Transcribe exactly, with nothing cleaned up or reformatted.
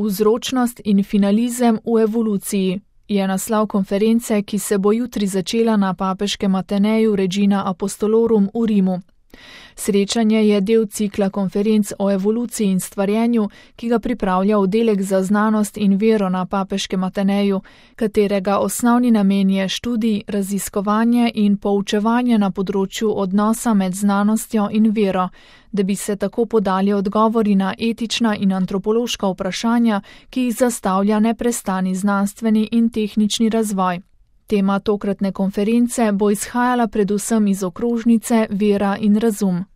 Vzročnost in finalizem v evoluciji je naslov konference, ki se bo jutri začela na papeškem Ateneju Regina Apostolorum v Rimu. Srečanje je del cikla konferenc o evoluciji in stvarjenju, ki ga pripravlja oddelek za znanost in vero na papeškem Ateneju, katerega osnovni namen je študij, raziskovanje in poučevanje na področju odnosa med znanostjo in vero, da bi se tako podali odgovori na etična in antropološka vprašanja, ki jih zastavlja neprestani znanstveni in tehnični razvoj. Tema tokratne konference bo izhajala predvsem iz okrožnice Vera in razum.